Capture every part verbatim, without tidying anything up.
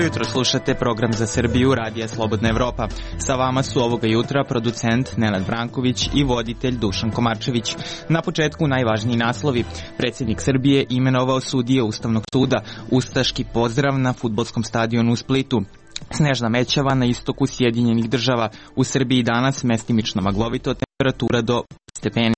Dobro jutro, slušate program za Srbiju Radija Slobodna Evropa. Sa vama su ovoga jutra producent Nenad Branković i voditelj Dušan Komarčević. Na početku najvažniji naslovi. Predsjednik Srbije imenovao sudije Ustavnog suda. Ustaški pozdrav na fudbalskom stadionu u Splitu. Snežna mećava na istoku Sjedinjenih država. U Srbiji danas mestimično maglovito, temperatura do stepeni.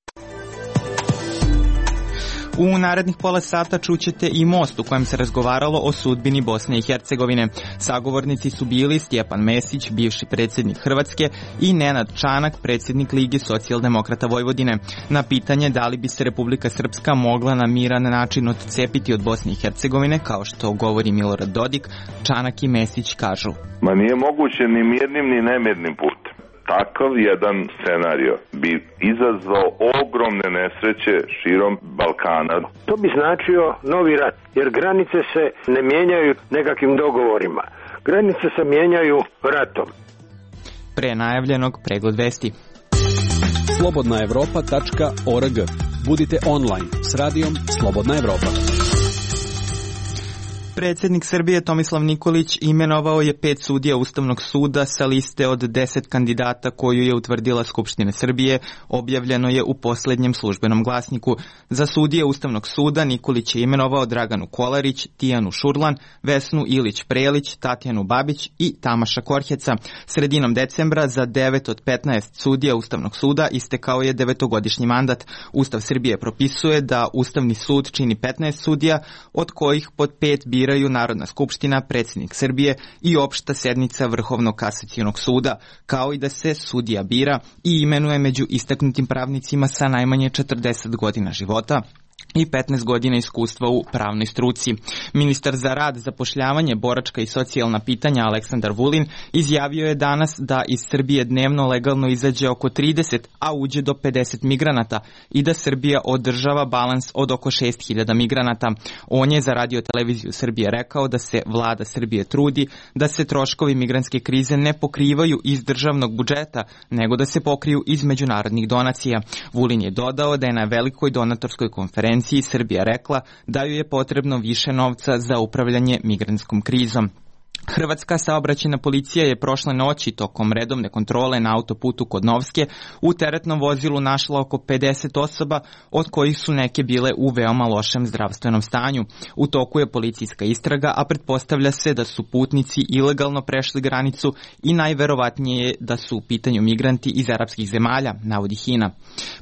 U narednih pola sata čućete i most u kojem se razgovaralo o sudbini Bosne i Hercegovine. Sagovornici su bili Stjepan Mesić, bivši predsjednik Hrvatske, i Nenad Čanak, predsjednik Lige socijaldemokrata Vojvodine. Na pitanje da li bi se Republika Srpska mogla na miran način odcepiti od Bosne i Hercegovine, kao što govori Milorad Dodik, Čanak i Mesić kažu: Ma nije moguće ni mirnim ni nemirnim putem. Takav jedan scenario bi izazvao ogromne nesreće širom Balkana. To bi značio novi rat, jer granice se ne mijenjaju nekakvim dogovorima. Granice se mijenjaju ratom. Pre najavljenog pregled vesti. slobodna evropa tačka org. Budite online s radijom Slobodna Evropa. Predsjednik Srbije Tomislav Nikolić imenovao je pet sudija Ustavnog suda sa liste od deset kandidata koju je utvrdila Skupština Srbije, objavljeno je u posljednjem službenom glasniku. Za sudije Ustavnog suda Nikolić je imenovao Draganu Kolarić, Tijanu Šurlan, Vesnu Ilić-Prelić, Tatjanu Babić i Tamaša Korheca. Sredinom decembra za devet od petnaest sudija Ustavnog suda istekao je devetogodišnji mandat. Ustav Srbije propisuje da Ustavni sud čini petnaest sudija, od kojih pod pet biraju Narodna skupština, predsjednik Srbije i opšta sednica Vrhovnog kasacionog suda, kao i da se sudija bira i imenuje među istaknutim pravnicima sa najmanje četrdeset godina života i petnaest godina iskustva u pravnoj struci. Ministar za rad, zapošljavanje, boračka i socijalna pitanja Aleksandar Vulin izjavio je danas da iz Srbije dnevno legalno izađe oko trideset, a uđe do pedeset migranata i da Srbija održava balans od oko šest hiljada migranata. On je za Radio televiziju Srbije rekao da se vlada Srbije trudi da se troškovi migrantske krize ne pokrivaju iz državnog budžeta, nego da se pokriju iz međunarodnih donacija. Vulin je dodao da je na velikoj donatorskoj konferenciji Srbija rekla da ju je potrebno više novca za upravljanje migrantskom krizom. Hrvatska saobraćajna policija je prošle noći tokom redovne kontrole na autoputu kod Novske u teretnom vozilu našla oko pedeset osoba, od kojih su neke bile u veoma lošem zdravstvenom stanju. U toku je policijska istraga, a pretpostavlja se da su putnici ilegalno prešli granicu i najverovatnije je da su u pitanju migranti iz arapskih zemalja, navodi Hina.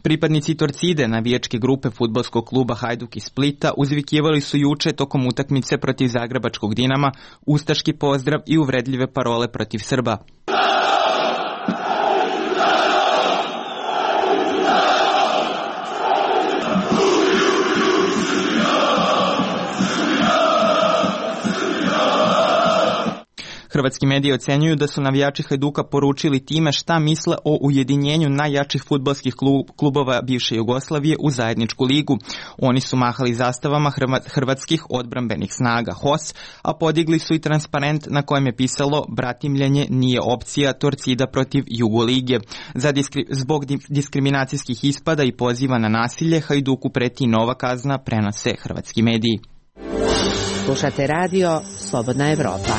Pripadnici Torcide, navijačke grupe fudbalskog kluba Hajduk iz Splita, uzvikivali su juče tokom utakmice protiv zagrebačkog Dinama ustaški pozdrav i uvredljive parole protiv Srba. Hrvatski mediji ocenjuju da su navijači Hajduka poručili time šta misle o ujedinjenju najjačih fudbalskih klubova bivše Jugoslavije u zajedničku ligu. Oni su mahali zastavama hrvatskih odbrambenih snaga H O S, a podigli su i transparent na kojem je pisalo "Bratimljenje nije opcija, Torcida protiv Jugolige". Za diskri... Zbog diskriminacijskih ispada i poziva na nasilje Hajduku preti nova kazna, prenose hrvatski mediji. Slušate radio Slobodna Evropa.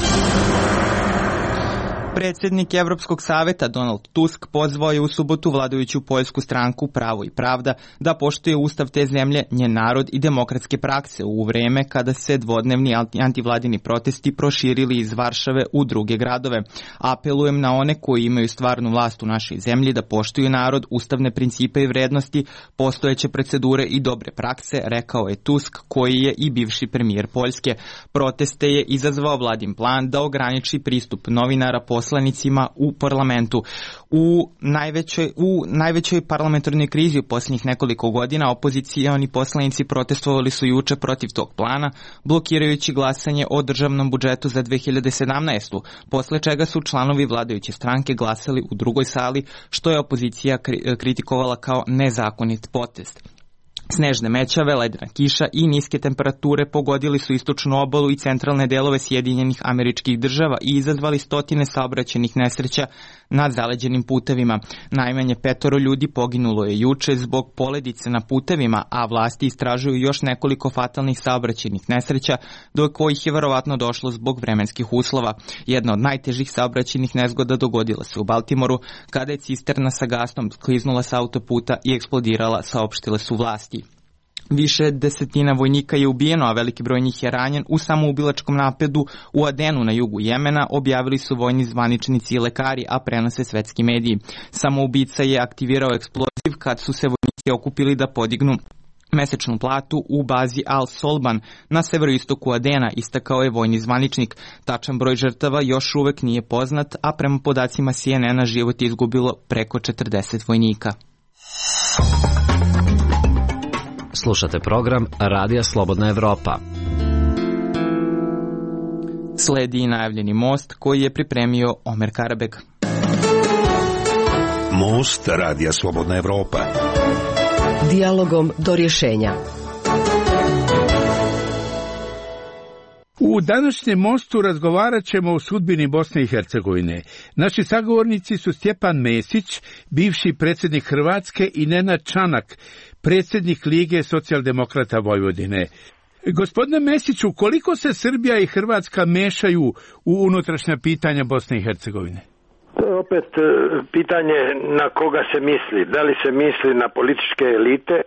Predsjednik Evropskog saveta Donald Tusk pozvao je u subotu vladajuću poljsku stranku Pravo i pravda da poštuje ustav te zemlje, njen narod i demokratske prakse u vrijeme kada se dvodnevni antivladini protesti proširili iz Varšave u druge gradove. Apelujem na one koji imaju stvarnu vlast u našoj zemlji da poštuju narod, ustavne principe i vrednosti, postojeće procedure i dobre prakse, rekao je Tusk, koji je i bivši premijer Poljske. Proteste je izazvao vladin plan da ograniči pristup novinara poslanicima u parlamentu. U najvećoj, u najvećoj parlamentarnoj krizi u posljednjih nekoliko godina opozicioni poslanici protestovali su juče protiv tog plana, blokirajući glasanje o državnom budžetu za dve hiljade sedamnaestu, posle čega su članovi vladajuće stranke glasali u drugoj sali, što je opozicija kritikovala kao nezakonit potez. Snežne mećave, ledena kiša i niske temperature pogodili su istočnu obalu i centralne delove Sjedinjenih Američkih Država i izazvali stotine saobraćajnih nesreća na zaleđenim putevima. Najmanje petoro ljudi poginulo je juče zbog poledice na putevima, a vlasti istražuju još nekoliko fatalnih saobraćajnih nesreća, do kojih je verovatno došlo zbog vremenskih uslova. Jedna od najtežih saobraćajnih nezgoda dogodila se u Baltimoru, kada je cisterna sa gasom kliznula sa autoputa i eksplodirala, saopštile su vlasti. Više desetina vojnika je ubijeno, a veliki broj njih je ranjen u samoubilačkom napadu u Adenu na jugu Jemena, objavili su vojni zvaničnici i lekari, a prenose svetski mediji. Samoubica je aktivirao eksploziv kad su se vojnici okupili da podignu mesečnu platu u bazi Al-Solban na severoistoku Adena, istakao je vojni zvaničnik. Tačan broj žrtava još uvek nije poznat, a prema podacima C N N-a život je izgubilo preko četrdeset vojnika. Slušate program Radija Slobodna Evropa. Sledi i najavljeni most koji je pripremio Omer Karabek. Most Radija Slobodna Evropa. Dijalogom do rješenja. U današnjem mostu razgovarat ćemo o sudbini Bosne i Hercegovine. Naši sagovornici su Stjepan Mesić, bivši predsjednik Hrvatske, i Nenad Čanak, predsjednik Lige socijaldemokrata Vojvodine. Gospodine Mesiću, koliko se Srbija i Hrvatska mešaju u unutrašnja pitanja Bosne i Hercegovine? To je opet pitanje na koga se misli. Da li se misli na političke elite,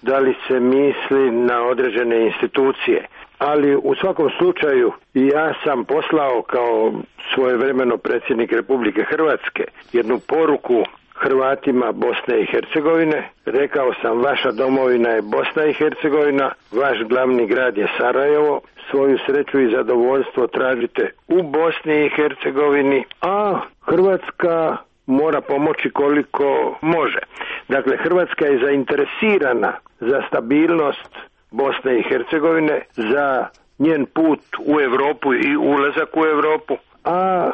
da li se misli na određene institucije. Ali u svakom slučaju ja sam poslao kao svojevremeno predsjednik Republike Hrvatske jednu poruku Hrvatima Bosne i Hercegovine. Rekao sam, vaša domovina je Bosna i Hercegovina, vaš glavni grad je Sarajevo, svoju sreću i zadovoljstvo tražite u Bosni i Hercegovini, a Hrvatska mora pomoći koliko može. Dakle, Hrvatska je zainteresirana za stabilnost Bosne i Hercegovine, za njen put u Europu i ulazak u Europu. A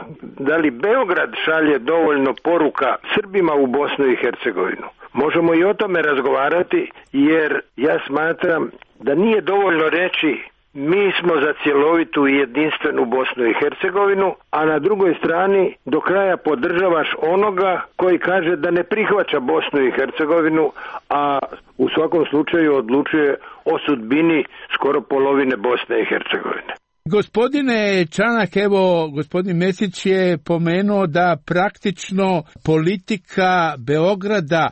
da li Beograd šalje dovoljno poruka Srbima u Bosnu i Hercegovinu? Možemo i o tome razgovarati, jer ja smatram da nije dovoljno reći mi smo za cjelovitu i jedinstvenu Bosnu i Hercegovinu, a na drugoj strani do kraja podržavaš onoga koji kaže da ne prihvaća Bosnu i Hercegovinu, a u svakom slučaju odlučuje o sudbini skoro polovine Bosne i Hercegovine. Gospodine Čanak, evo, gospodin Mesić je pomenuo da praktično politika Beograda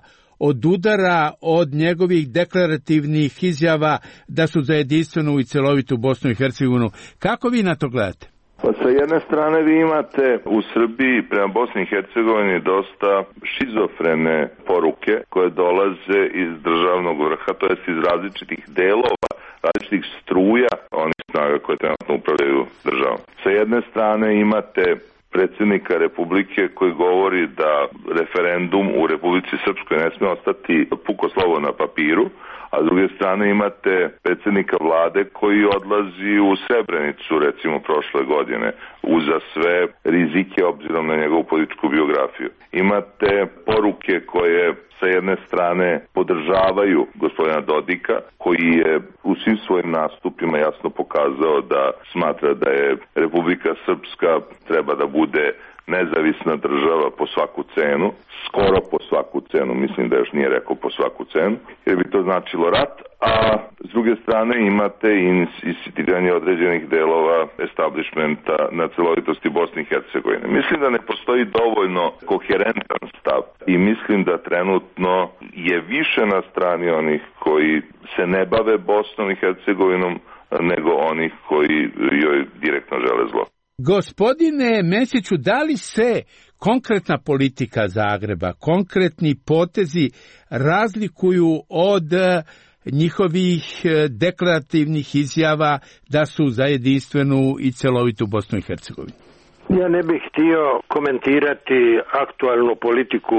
odudara od njegovih deklarativnih izjava da su za jedinstvenu i celovitu Bosnu i Hercegovinu. Kako vi na to gledate? Pa sa jedne strane vi imate u Srbiji prema Bosni i Hercegovini dosta šizofrene poruke koje dolaze iz državnog vrha, to jest iz različitih delova, različitih struja onih snaga koje trenutno upravljaju državom. Sa jedne strane imate predsjednika Republike koji govori da referendum u Republici Srpskoj ne smije ostati puko slovo na papiru, a s druge strane imate predsjednika vlade koji odlazi u Srebrenicu, recimo prošle godine, uza sve rizike obzirom na njegovu političku biografiju. Imate poruke koje sa jedne strane podržavaju gospodina Dodika, koji je u svim svojim nastupima jasno pokazao da smatra da je Republika Srpska treba da bude nezavisna država po svaku cenu, skoro po svaku cenu, mislim da još nije rekao po svaku cenu, jer bi to značilo rat, a s druge strane imate insistiranje određenih delova establishmenta na celovitosti Bosne i Hercegovine. Mislim da ne postoji dovoljno koherentan stav i mislim da trenutno je više na strani onih koji se ne bave Bosnom i Hercegovinom nego onih koji joj direktno žele zlo. Gospodine Mesiću, da li se konkretna politika Zagreba, konkretni potezi razlikuju od njihovih deklarativnih izjava da su za jedinstvenu i celovitu Bosnu i Hercegovinu? Ja ne bih htio komentirati aktualnu politiku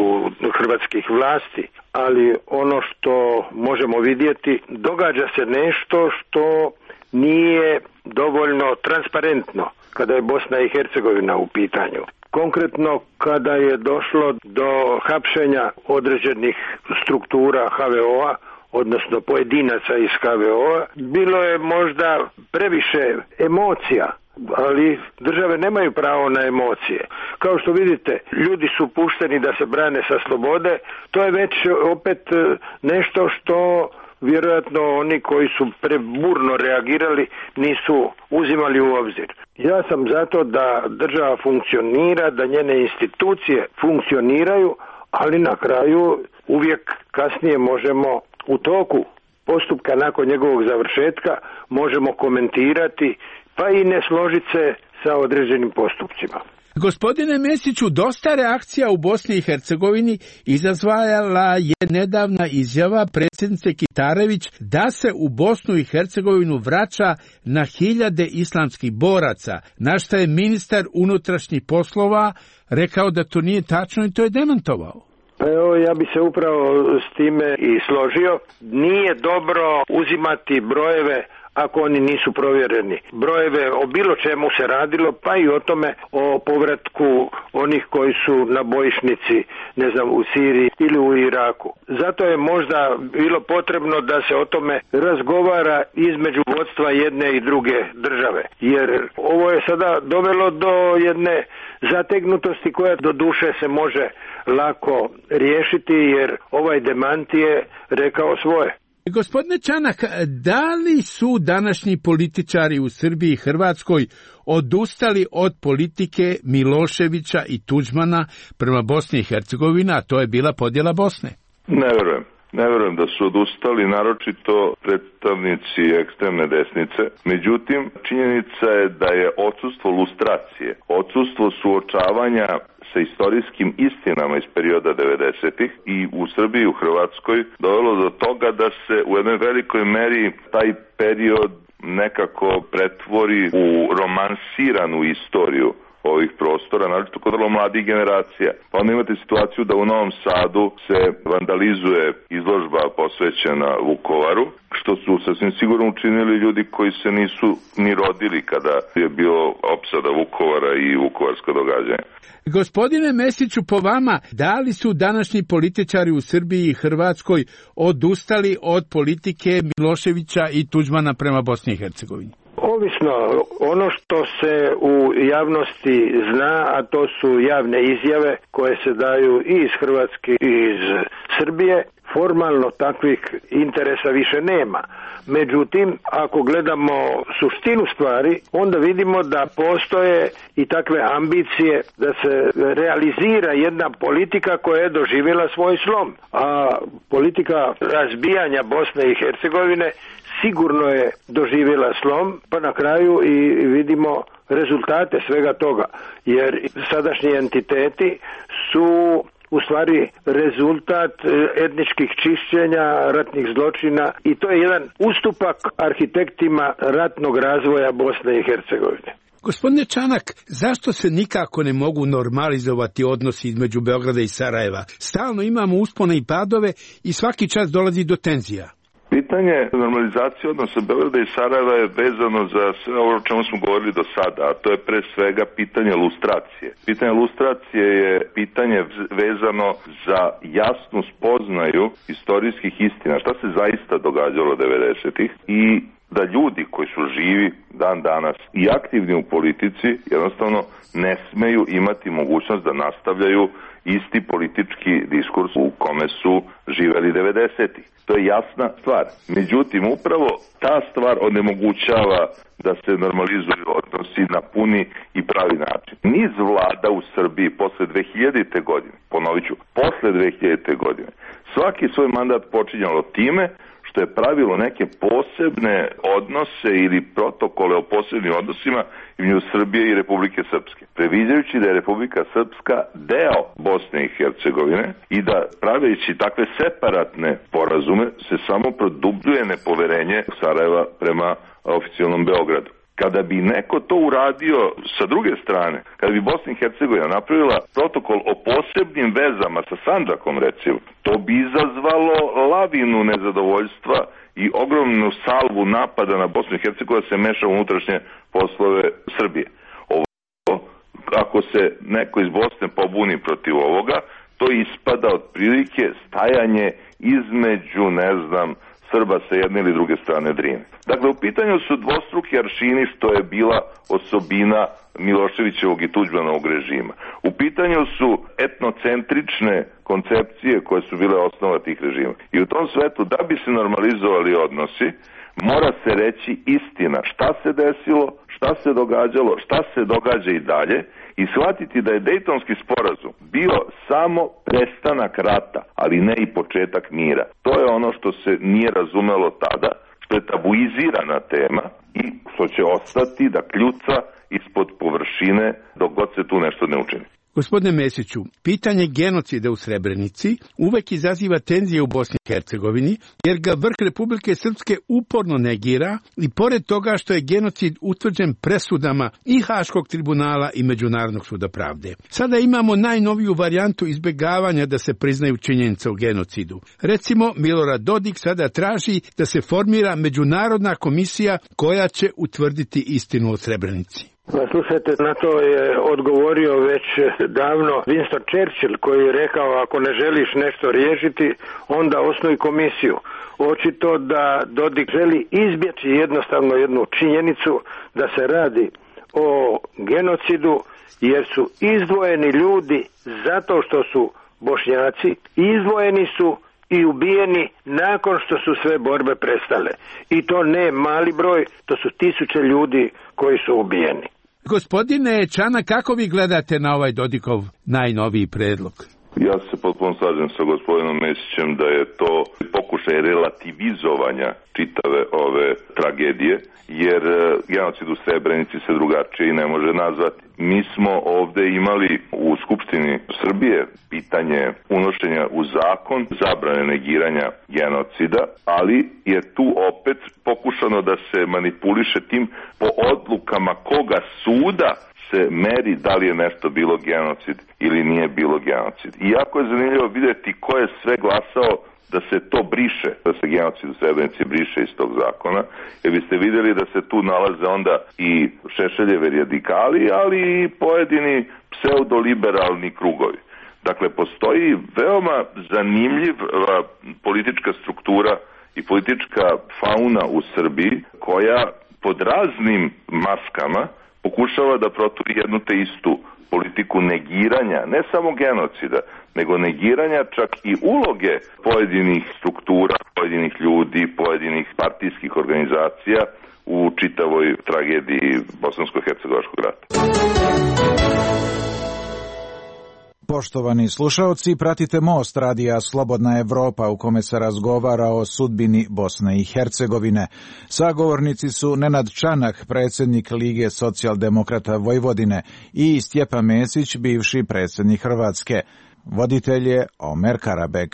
hrvatskih vlasti, ali ono što možemo vidjeti, događa se nešto što nije dovoljno transparentno kada je Bosna i Hercegovina u pitanju. Konkretno kada je došlo do hapšenja određenih struktura H V O-a, odnosno pojedinaca iz H V O-a. Bilo je možda previše emocija, ali države nemaju pravo na emocije. Kao što vidite, ljudi su pušteni da se brane sa slobode, to je već opet nešto što vjerojatno oni koji su preburno reagirali nisu uzimali u obzir. Ja sam zato da država funkcionira, da njene institucije funkcioniraju, ali na kraju uvijek kasnije možemo u toku postupka nakon njegovog završetka možemo komentirati pa i ne složiti se sa određenim postupcima. Gospodine Mesiću, dosta reakcija u Bosni i Hercegovini izazvala je nedavna izjava predsjednice Kitarević da se u Bosnu i Hercegovinu vraća na hiljade islamskih boraca, na što je ministar unutrašnjih poslova rekao da to nije tačno i to je demantovao. Evo, ja bi se upravo s time i složio. Nije dobro uzimati brojeve ako oni nisu provjereni. Brojeve o bilo čemu se radilo, pa i o tome o povratku onih koji su na bojišnici, ne znam, u Siriji ili u Iraku. Zato je možda bilo potrebno da se o tome razgovara između vodstva jedne i druge države. Jer ovo je sada dovelo do jedne zategnutosti koja do duše se može lako riješiti, jer ovaj demant je rekao svoje. Gospodine Čanak, da li su današnji političari u Srbiji i Hrvatskoj odustali od politike Miloševića i Tuđmana prema Bosni i Hercegovini, a to je bila podjela Bosne? Ne verujem. Ne verujem da su odustali, naročito predstavnici ekstremne desnice. Međutim, činjenica je da je odsustvo lustracije, odsustvo suočavanja sa istorijskim istinama iz perioda devedesetih i u Srbiji i u Hrvatskoj dovelo do toga da se u jednoj velikoj meri taj period nekako pretvori u romansiranu istoriju ovih prostora, naročito kod vrlo mladih generacija. Pa onda imate situaciju da u Novom Sadu se vandalizuje izložba posvećena Vukovaru, što su sasvim sigurno učinili ljudi koji se nisu ni rodili kada je bilo opsada Vukovara i vukovarsko događanje. Gospodine Mesiću, po vama, da li su današnji političari u Srbiji i Hrvatskoj odustali od politike Miloševića i Tuđmana prema Bosni i Hercegovini? Ovisno, ono što se u javnosti zna, a to su javne izjave koje se daju i iz Hrvatske i iz Srbije, formalno takvih interesa više nema. Međutim, ako gledamo suštinu stvari, onda vidimo da postoje i takve ambicije da se realizira jedna politika koja je doživjela svoj slom. A politika razbijanja Bosne i Hercegovine sigurno je doživjela slom, pa na kraju i vidimo rezultate svega toga, jer sadašnji entiteti su u stvari rezultat etničkih čišćenja, ratnih zločina i to je jedan ustupak arhitektima ratnog razvoja Bosne i Hercegovine. Gospodine Čanak, zašto se nikako ne mogu normalizovati odnosi između Beograda i Sarajeva? Stalno imamo uspone i padove i svaki čas dolazi do tenzija. Pitanje normalizacije odnosa Beograda i Sarajeva je vezano za sve ovo o čemu smo govorili do sada, a to je pre svega pitanje lustracije. Pitanje lustracije je pitanje vezano za jasnu spoznaju istorijskih istina, šta se zaista događalo devedesetih i da ljudi koji su živi dan danas i aktivni u politici jednostavno ne smeju imati mogućnost da nastavljaju isti politički diskurs u kome su živeli devedesetih. To je jasna stvar. Međutim, upravo ta stvar onemogućava da se normalizuju odnosi na puni i pravi način. Niz vlada u Srbiji posle dve hiljadite. godine, ponovit ću, posle dve hiljadite. godine, svaki svoj mandat počinjalo time što je pravilo neke posebne odnose ili protokole o posebnim odnosima između Srbije i Republike Srpske. Previđajući da je Republika Srpska deo Bosne i Hercegovine i da praveći takve separatne porazume se samo produbljuje nepoverenje Sarajeva prema oficijalnom Beogradu. Kada bi neko to uradio sa druge strane, kada bi Bosna i Hercegovina napravila protokol o posebnim vezama sa Sandžakom, recimo, to bi izazvalo lavinu nezadovoljstva i ogromnu salvu napada na Bosnu i Hercegovinu da se meša u unutrašnje poslove Srbije. Ovo, ako se neko iz Bosne pobuni protiv ovoga, to ispada otprilike stajanje između, ne znam, Srba sa jedne ili druge strane Drine. Dakle, u pitanju su dvostruki aršini, što je bila osobina Miloševićevog i Tuđmanovog režima. U pitanju su etnocentrične koncepcije koje su bile osnova tih režima. I u tom svetu, da bi se normalizovali odnosi, mora se reći istina šta se desilo, šta se događalo, šta se događa i dalje, i shvatiti da je Dejtonski sporazum bio samo prestanak rata, ali ne i početak mira. To je ono što se nije razumelo tada, što je tabuizirana tema i što će ostati da kljuca ispod površine dok god se tu nešto ne učini. Gospodine Mesiću, pitanje genocida u Srebrenici uvek izaziva tenzije u Bosni i Hercegovini, jer ga vrh Republike Srpske uporno negira i pored toga što je genocid utvrđen presudama i Haškog tribunala i Međunarodnog suda pravde. Sada imamo najnoviju varijantu izbjegavanja da se priznaju činjenice o genocidu. Recimo, Milorad Dodik sada traži da se formira međunarodna komisija koja će utvrditi istinu o Srebrenici. Slušajte, na to je odgovorio već davno Winston Churchill, koji je rekao ako ne želiš nešto riješiti, onda osnuj komisiju. Očito da Dodik želi izbjeći jednostavno jednu činjenicu da se radi o genocidu, jer su izdvojeni ljudi zato što su Bošnjaci, izdvojeni su i ubijeni nakon što su sve borbe prestale. I to ne mali broj, to su tisuće ljudi koji su ubijeni. Gospodine Čanak, kako vi gledate na ovaj Dodikov najnoviji predlog? Ja se potpuno slažem sa gospodinom Mesićem da je to pokušaj relativizovanja čitave ove tragedije, jer genocid u Srebrenici se drugačije i ne može nazvati. Mi smo ovde imali u Skupštini Srbije pitanje unošenja u zakon zabrane negiranja genocida, ali je tu opet pokušano da se manipuliše tim po odlukama koga suda se meri da li je nešto bilo genocid ili nije bilo genocid. I jako je zanimljivo vidjeti ko je sve glasao da se to briše, da se genocid u Srebrenici briše iz tog zakona, jer biste vidjeli da se tu nalaze onda i Šešeljevi radikali, ali i pojedini pseudoliberalni krugovi. Dakle, postoji veoma zanimljiva politička struktura i politička fauna u Srbiji koja pod raznim maskama pokušava da proturi jednu te istu politiku negiranja, ne samo genocida, nego negiranja čak i uloge pojedinih struktura, pojedinih ljudi, pojedinih partijskih organizacija u čitavoj tragediji Bosansko-hercegovačkog rata. Poštovani slušaoci, pratite Most radija Slobodna Evropa u kome se razgovara o sudbini Bosne i Hercegovine. Sagovornici su Nenad Čanak, predsjednik Lige socijaldemokrata Vojvodine, i Stjepan Mesić, bivši predsjednik Hrvatske. Voditelj je Omer Karabeg.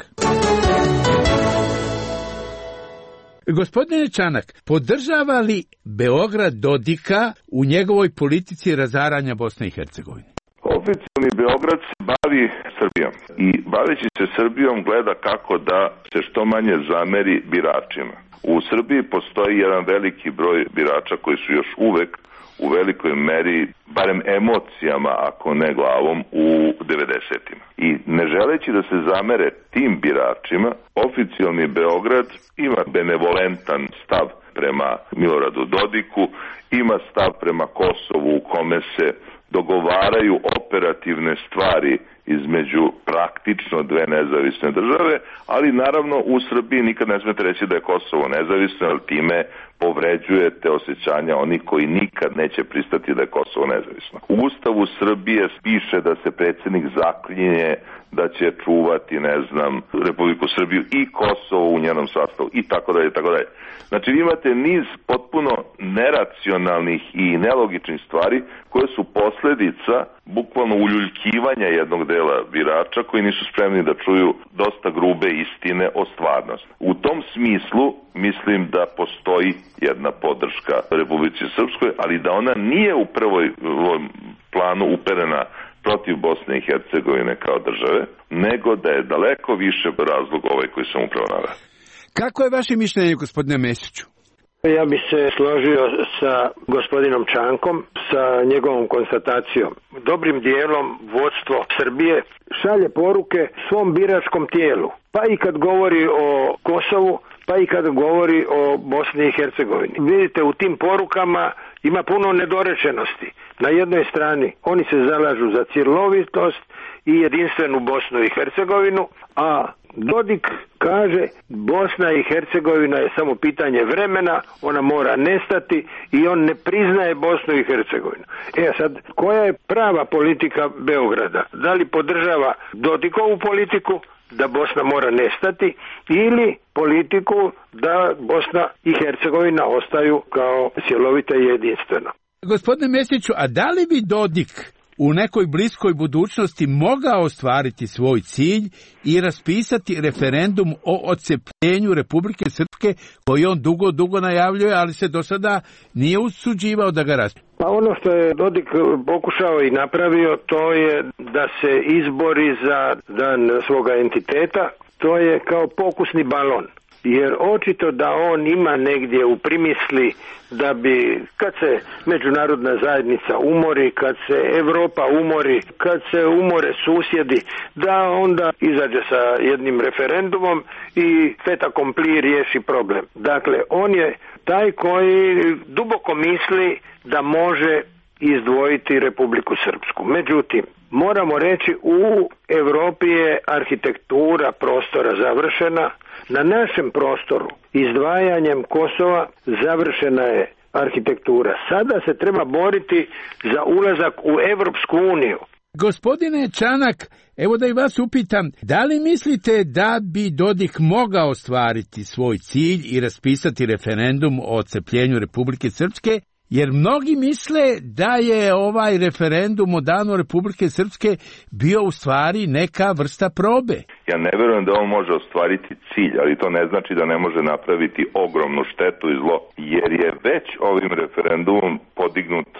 Gospodine Čanak, podržava li Beograd Dodika u njegovoj politici razaranja Bosne i Hercegovine? Oficijalni Beograd se bavi Srbijom i baveći se Srbijom gleda kako da se što manje zameri biračima. U Srbiji postoji jedan veliki broj birača koji su još uvek u velikoj meri, barem emocijama, ako ne glavom, u devedesetima. I ne želeći da se zamere tim biračima, oficijalni Beograd ima benevolentan stav prema Miloradu Dodiku, ima stav prema Kosovu u kome se dogovaraju operativne stvari između praktično dve nezavisne države, ali naravno u Srbiji nikad ne smete reći da je Kosovo nezavisno, ali time povređujete osjećanja onih koji nikad neće pristati da je Kosovo nezavisno. U Ustavu Srbije piše da se predsjednik zaklinje da će čuvati, ne znam, Republiku Srbiju i Kosovo u njenom sastavu i tako dalje, tako dalje. Znači vi imate niz potpuno neracionalnih i nelogičnih stvari koje su posljedica bukvalno uljuljkivanja jednog dela birača koji nisu spremni da čuju dosta grube istine o stvarnosti. U tom smislu mislim da postoji jedna podrška Republici Srpskoj, ali da ona nije u prvoj planu uperena protiv Bosne i Hercegovine kao države, nego da je daleko više razlog ovaj koji sam upravo naveo. Kako je vaše mišljenje, gospodine Mesiću? Ja bi se složio sa gospodinom Čankom, sa njegovom konstatacijom. Dobrim dijelom vodstvo Srbije šalje poruke svom biračkom tijelu. Pa i kad govori o Kosovu, pa i kad govori o Bosni i Hercegovini. Vidite, u tim porukama ima puno nedorečenosti. Na jednoj strani oni se zalažu za cjelovitost i jedinstvenu Bosnu i Hercegovinu, a Dodik kaže Bosna i Hercegovina je samo pitanje vremena, ona mora nestati i on ne priznaje Bosnu i Hercegovinu. E sad, koja je prava politika Beograda? Da li podržava Dodikovu politiku da Bosna mora nestati ili politiku da Bosna i Hercegovina ostaju kao cjelovita i jedinstvena? Gospodine Mesiću, a da li bi Dodik u nekoj bliskoj budućnosti mogao ostvariti svoj cilj i raspisati referendum o odcepljenju Republike Srpske koji on dugo, dugo najavljuje, ali se do sada nije usuđivao da ga raspisuje? Pa ono što je Dodik pokušao i napravio, to je da se izbori za dan svoga entiteta, to je kao pokusni balon. Jer očito da on ima negdje u primisli da bi, kad se međunarodna zajednica umori, kad se Europa umori, kad se umore susjedi, da onda izađe sa jednim referendumom i fait accompli riješi problem. Dakle, on je taj koji duboko misli da može izdvojiti Republiku Srpsku. Međutim, moramo reći, u Europi je arhitektura prostora završena. Na našem prostoru, izdvajanjem Kosova, završena je arhitektura. Sada se treba boriti za ulazak u Evropsku uniju. Gospodine Čanak, evo da i vas upitam, da li mislite da bi Dodik mogao ostvariti svoj cilj i raspisati referendum o odcepljenju Republike Srpske? Jer mnogi misle da je ovaj referendum o danu Republike Srpske bio u stvari neka vrsta probe. Ja ne verujem da on može ostvariti cilj, ali to ne znači da ne može napraviti ogromnu štetu i zlo, jer je već ovim referendumom podignut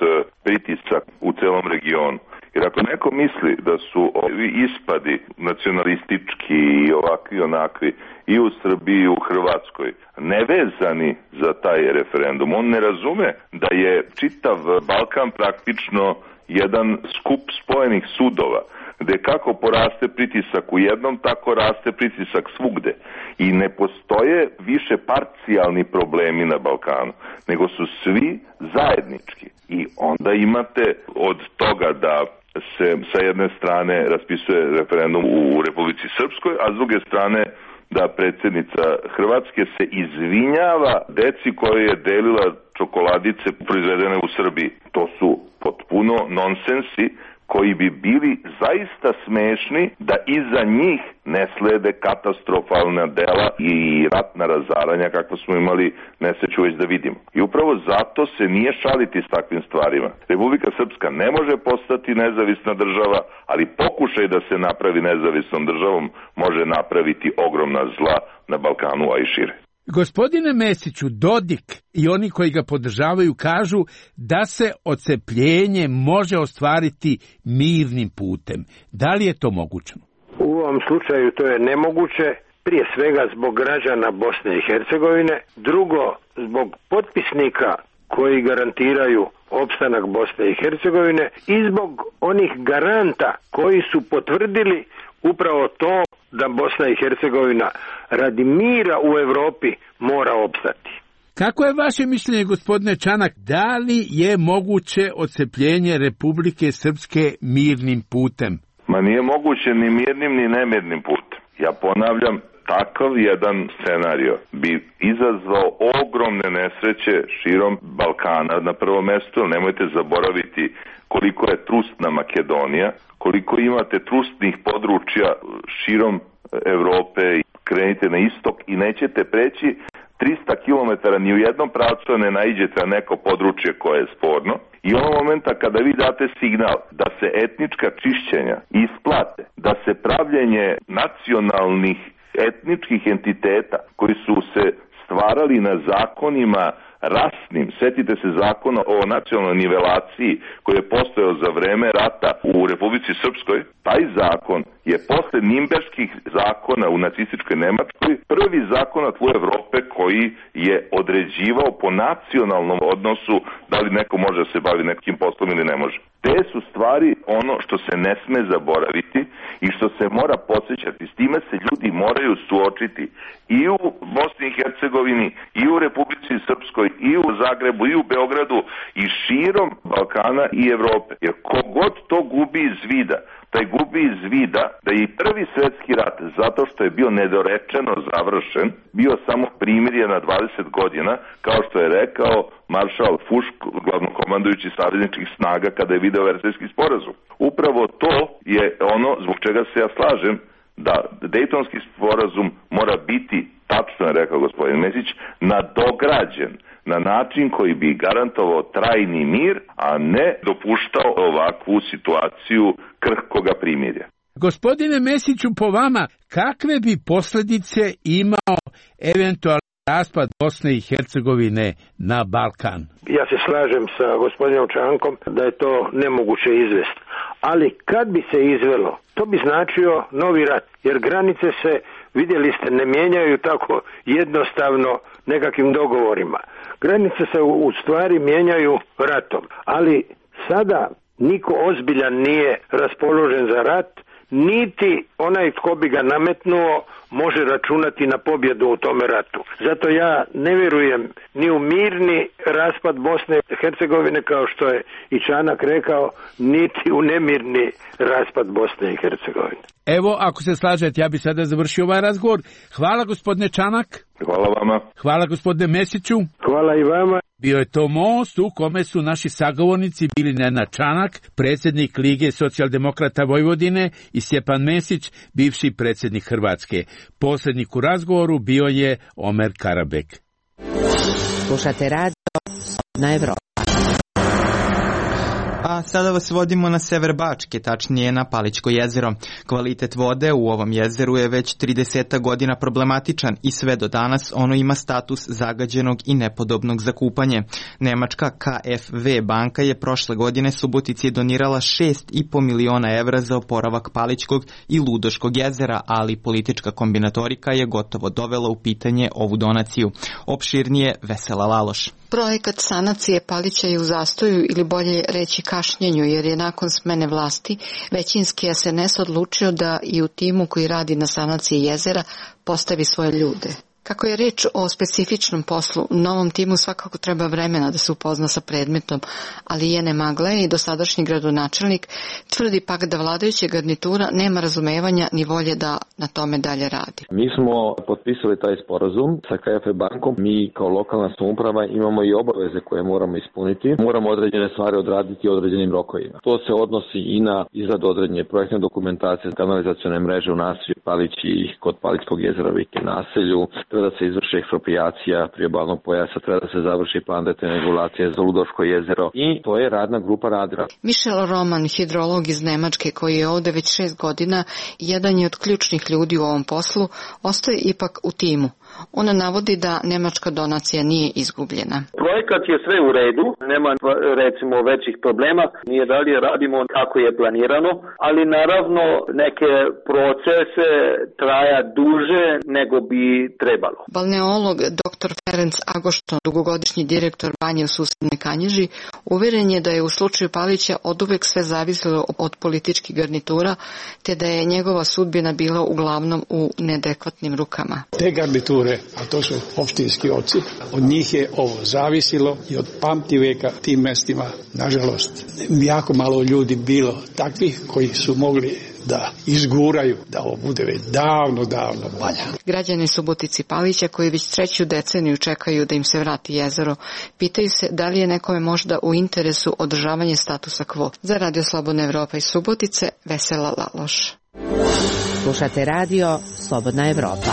pritisak u celom regionu. Jer ako neko misli da su ovi ispadi nacionalistički i ovakvi onakvi i u Srbiji i u Hrvatskoj nevezani za taj referendum, on ne razume da je čitav Balkan praktično jedan skup spojenih sudova, gde kako poraste pritisak u jednom, tako raste pritisak svugde. I ne postoje više parcijalni problemi na Balkanu, nego su svi zajednički. I onda imate od toga da se sa jedne strane raspisuje referendum u Republici Srpskoj, a s druge strane da predsjednica Hrvatske se izvinjava deci koje je delila čokoladice proizvedene u Srbiji. To su potpuno nonsensi koji bi bili zaista smešni da iza njih ne slede katastrofalna dela i ratna razaranja kakva smo imali nesreću već da vidimo. I upravo zato se nije šaliti s takvim stvarima. Republika Srpska ne može postati nezavisna država, ali pokušaj da se napravi nezavisnom državom može napraviti ogromna zla na Balkanu, a i šire. Gospodine Mesiću, Dodik i oni koji ga podržavaju kažu da se odcepljenje može ostvariti mirnim putem. Da li je to moguće? U ovom slučaju to je nemoguće, prije svega zbog građana Bosne i Hercegovine, drugo zbog potpisnika koji garantiraju opstanak Bosne i Hercegovine i zbog onih garanta koji su potvrdili upravo to da Bosna i Hercegovina radi mira u Europi mora opstati. Kako je vaše mišljenje, gospodine Čanak, da li je moguće odcepljenje Republike Srpske mirnim putem? Ma nije moguće ni mirnim ni nemirnim putem. Ja ponavljam, takav jedan scenario bi izazvao ogromne nesreće širom Balkana. Na prvo mesto nemojte zaboraviti koliko je trustna Makedonija, koliko imate trustnih područja širom Evrope, krenite na istok i nećete preći trista kilometara ni u jednom pravcu ne naiđete na neko područje koje je sporno. I onog momenta kada vi date signal da se etnička čišćenja isplate, da se pravljenje nacionalnih etničkih entiteta koji su se stvarali na zakonima rasnim, setite se zakona o nacionalnoj nivelaciji koji je postojao za vreme rata u Republici Srpskoj, taj zakon je posle Nimberških zakona u nacističkoj Nemačkoj prvi zakon na tlu Evrope koji je određivao po nacionalnom odnosu da li neko može da se bavi nekim poslom ili ne može. Te su stvari ono što se ne sme zaboraviti i što se mora podsjećati. S time se ljudi moraju suočiti i u Bosni i Hercegovini, i u Republici Srpskoj, i u Zagrebu, i u Beogradu, i širom Balkana i Evrope. Jer kogod to gubi iz vida, taj gubi iz vida da je i prvi svetski rat, zato što je bio nedorečeno završen, bio samo primirje na dvadeset godina, kao što je rekao maršal Fušk, glavnokomandujući savezničkih snaga, kada je video Versajski sporazum. Upravo to je ono zbog čega se ja slažem da Dejtonski sporazum mora biti, tačno je rekao gospodin Mesić, nadograđen na način koji bi garantovao trajni mir, a ne dopuštao ovakvu situaciju krhkoga primirja. Gospodine Mesiću, po vama, kakve bi posljedice imao eventualni raspad Bosne i Hercegovine na Balkan? Ja se slažem sa gospodinom Čankom da je to nemoguće izvesti. Ali kad bi se izvelo, to bi značio novi rat, jer granice se, vidjeli ste, ne mijenjaju tako jednostavno nekakvim dogovorima. Granice se u stvari mijenjaju ratom, ali sada niko ozbiljan nije raspoložen za rat, niti onaj tko bi ga nametnuo može računati na pobjedu u tome ratu. Zato ja ne vjerujem ni u mirni raspad Bosne i Hercegovine, kao što je i Čanak rekao, niti u nemirni raspad Bosne i Hercegovine. Evo, ako se slažete, ja bi sada završio ovaj razgovor. Hvala gospodine Čanak. Hvala vama. Hvala gospodine Mesiću. Hvala i vama. Bio je to most u kome su naši sagovornici bili Nenad Čanak, predsjednik Lige socijaldemokrata Vojvodine, i Stjepan Mesić, bivši predsjednik Hrvatske. Posrednik u razgovoru bio je Omer Karabek. Slušate radio na Evropa. A sada vas vodimo na sever Bačke, tačnije na Palićko jezero. Kvalitet vode u ovom jezeru je već trideset godina problematičan i sve do danas ono ima status zagađenog i nepodobnog za kupanje. Nemačka K F V banka je prošle godine Subotici donirala šest i po miliona evra za oporavak Palićkog i Ludoškog jezera, ali politička kombinatorika je gotovo dovela u pitanje ovu donaciju. Opširnije Vesela Laloš. Projekat sanacije Palića je u zastoju ili bolje reći kašnjenju, jer je nakon smene vlasti većinski S N S odlučio da i u timu koji radi na sanaciji jezera postavi svoje ljude. Kako je reč o specifičnom poslu, novom timu svakako treba vremena da se upozna sa predmetom, ali Jene Magle i dosadašnji gradonačelnik tvrdi pak da vladajuća garnitura nema razumevanja ni volje da na tome dalje radi. Mi smo potpisali taj sporazum sa K F V bankom. Mi kao lokalna samouprava imamo i obaveze koje moramo ispuniti. Moramo određene stvari odraditi određenim rokovima. To se odnosi i na izradu određene projektne dokumentacije, kanalizacione mreže u naselju Palići i kod Palićkog jezera Vike naselju. Treba da se izvrši eksproprijacija priobalnog pojasa, treba da se završi plan detaljne regulacije za Ludoško jezero i to je radna grupa radila. Michel Roman, hidrolog iz Nemačke koji je ovde već šest godina, jedan je od ključnih ljudi u ovom poslu, ostaje ipak u timu. Ona navodi da nemačka donacija nije izgubljena. Projekat je sve u redu, nema recimo većih problema, nije dalje radimo kako je planirano, ali naravno neke procese traja duže nego bi trebalo. Balneolog dr. Ferenc Agošton, dugogodišnji direktor banje u susednoj Kanjiži, uveren je da je u slučaju Palića oduvek sve zavisilo od političkih garnitura, te da je njegova sudbina bila uglavnom u neadekvatnim rukama. Te garniture, a to su opštinski oci, od njih je ovo zavisilo i od pamtivijeka tim mestima, nažalost, jako malo ljudi bilo takvih koji su mogli da izguraju da ovo bude već davno, davno valja. Građani Subotici Palića koji već treću deceniju čekaju da im se vrati jezero, pitaju se da li je nekome možda u interesu održavanje statusa quo. Za Radio Slobodna Evropa iz Subotice, Vesela Laloš. Slušate radio Slobodna Evropa.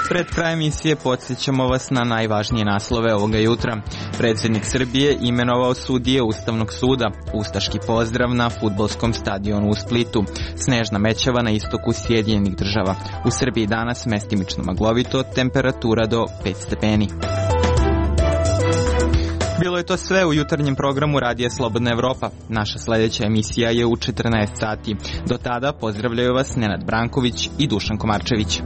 Pred kraj emisije podsjećamo vas na najvažnije naslove ovoga jutra. Predsjednik Srbije imenovao sudije Ustavnog suda, ustaški pozdrav na fudbalskom stadionu u Splitu, snežna mećava na istoku Sjedinjenih Država. U Srbiji danas mestimično maglovito, temperatura do pet stepeni. Bilo je to sve u jutarnjem programu Radija Slobodna Evropa. Naša sledeća emisija je u četrnaest sati. Do tada pozdravljaju vas Nenad Branković i Dušan Komarčević.